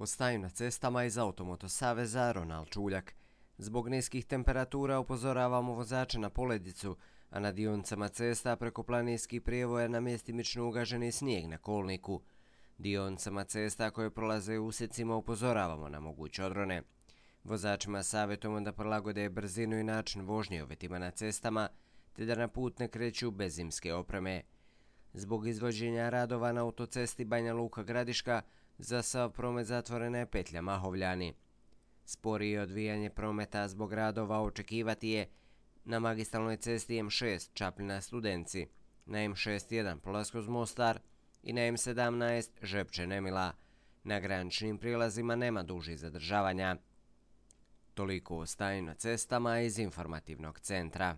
O stanju na cestama iz Automoto saveza Ronald Čuljak. Zbog niskih temperatura upozoravamo vozače na poledicu, a na dionicama cesta preko planinskih prijevoja na mjestimično ugaženi snijeg na kolniku. Dionicama cesta koje prolaze u usjecima upozoravamo na moguće odrone. Vozačima savjetujemo da prilagode brzinu i način vožnje uvjetima na cestama, te da na put ne kreću bez zimske opreme. Zbog izvođenja radova na autocesti Banja Luka-Gradiška, za sav promet zatvorena je petlja Mahovljani. Sporije odvijanje prometa zbog radova očekivati je na magistralnoj cesti M6 Čapljina-Studenci, na M61 Polaskoz-Mostar i na M17 Žepče-Nemila. Na graničnim prijelazima nema dužih zadržavanja. Toliko o stanju na cestama iz informativnog centra.